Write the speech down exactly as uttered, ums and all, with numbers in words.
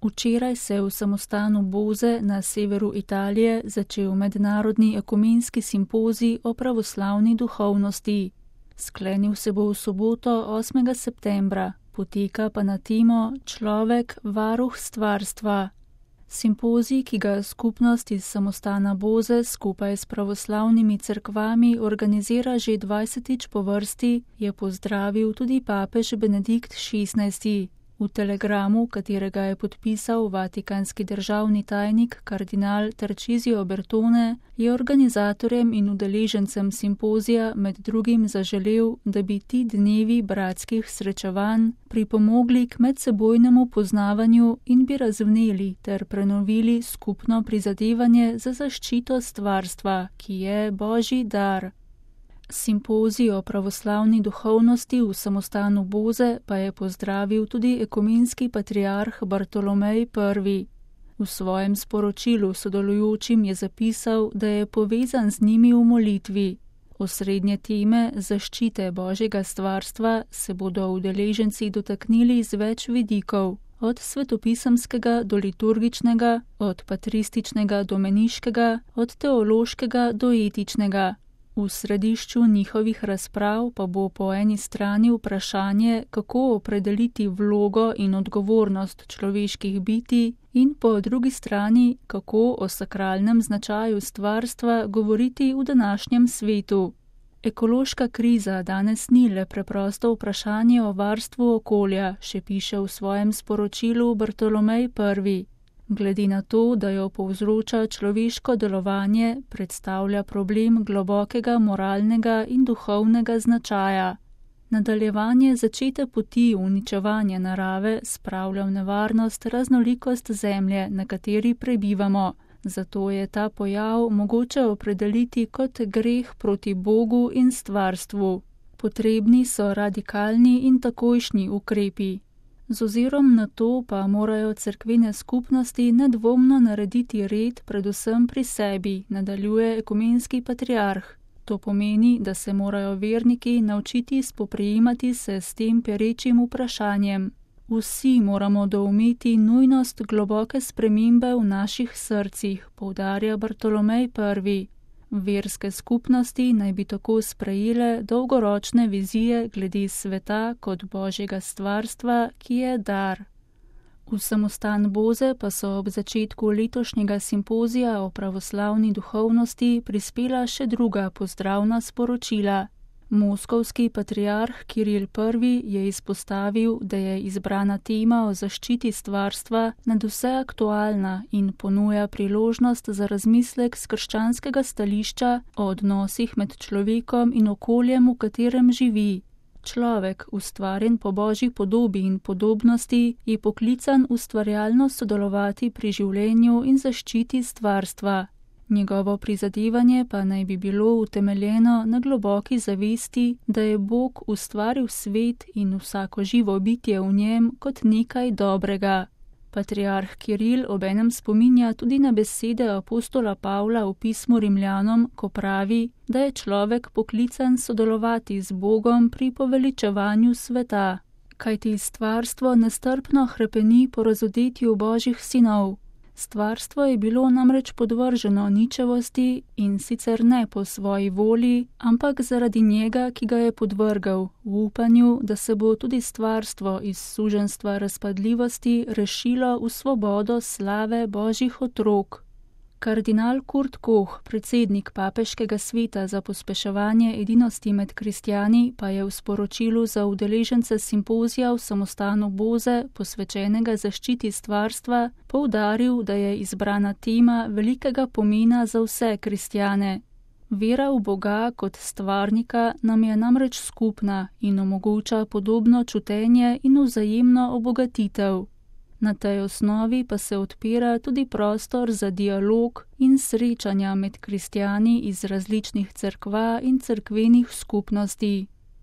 Včeraj se je v samostanu Boze na severu Italije začel mednarodni ekumenski simpozij o pravoslavni duhovnosti. Sklenil se bo v soboto osmega septembra, poteka pa na temo Človek, varuh stvarstva. Simpozij, ki ga skupnost iz samostana Boze skupaj s pravoslavnimi cerkvami organizira že dvajsetič po vrsti, je pozdravil tudi papež Benedikt šestnajsti. V telegramu, katerega je podpisal vatikanski državni tajnik kardinal Tarcisio Bertone, je organizatorjem in udeležencem simpozija med drugim zaželel, da bi ti dnevi bratskih srečevanj pripomogli k medsebojnemu poznavanju in bi razvneli ter prenovili skupno prizadevanje za zaščito stvarstva, ki je Božji dar. Simpozij o pravoslavni duhovnosti v samostanu Boze pa je pozdravil tudi ekumenski patriarh Bartolomej prvi. V svojem sporočilu sodelujočim je zapisal, da je povezan z njimi v molitvi. Osrednje teme zaščite Božjega stvarstva se bodo udeleženci dotaknili z več vidikov, od svetopisemskega do liturgičnega, od patrističnega do meniškega, od teološkega do etičnega. V središču njihovih razprav pa bo po eni strani vprašanje, kako opredeliti vlogo in odgovornost človeških bitij, in po drugi strani, kako o sakralnem značaju stvarstva govoriti v današnjem svetu. Ekološka kriza danes ni le preprosto vprašanje o varstvu okolja, še piše v svojem sporočilu Bartolomej prvi. Glede na to, da jo povzroča človeško delovanje, predstavlja problem globokega moralnega in duhovnega značaja. Nadaljevanje začete poti uničevanja narave spravlja v nevarnost raznolikost zemlje, na kateri prebivamo, zato je ta pojav mogoče opredeliti kot greh proti Bogu in stvarstvu. Potrebni so radikalni in takojšnji ukrepi. Z ozirom na to pa morajo cerkvene skupnosti nedvomno narediti red predvsem pri sebi, nadaljuje ekumenski patriarh. To pomeni, da se morajo verniki naučiti spoprijemati se s tem perečim vprašanjem. Vsi moramo doumeti nujnost globoke spremembe v naših srcih, poudarja Bartolomej prvi. Verske skupnosti naj bi tako sprejele dolgoročne vizije glede sveta kot Božjega stvarstva, ki je dar. V samostan Boze pa so ob začetku letošnjega simpozija o pravoslavni duhovnosti prispela še druga pozdravna sporočila. Moskovski patriarh Kiril prvi je izpostavil, da je izbrana tema o zaščiti stvarstva nadvse aktualna in ponuja priložnost za razmislek s krščanskega stališča o odnosih med človekom in okoljem, v katerem živi. Človek, ustvarjen po Božji podobi in podobnosti, je poklican ustvarjalno sodelovati pri življenju in zaščiti stvarstva. Njegovo prizadevanje pa naj bi bilo utemeljeno na globoki zavesti, da je Bog ustvaril svet in vsako živo bitje v njem kot nekaj dobrega. Patriarh Kiril obenem spominja tudi na besede apostola Pavla v pismu Rimljanom, ko pravi, da je človek poklican sodelovati z Bogom pri poveličevanju sveta, kajti stvarstvo nestrpno hrepeni po razodetju Božjih sinov. Stvarstvo je bilo namreč podvrženo ničevosti in sicer ne po svoji volji, ampak zaradi njega, ki ga je podvrgal, v upanju, da se bo tudi stvarstvo iz suženjstva razpadljivosti rešilo v svobodo slave Božjih otrok. Kardinal Kurt Koch, predsednik papeškega sveta za pospeševanje edinosti med kristjani, pa je v sporočilu za udeležence simpozija v samostanu Boze, posvečenega zaščiti stvarstva, poudaril, da je izbrana tema velikega pomena za vse kristjane. Vera v Boga kot stvarnika nam je namreč skupna in omogoča podobno čutenje in vzajemno obogatitev. Na tej osnovi pa se odpira tudi prostor za dialog in srečanja med kristjani iz različnih cerkva in cerkvenih skupnosti.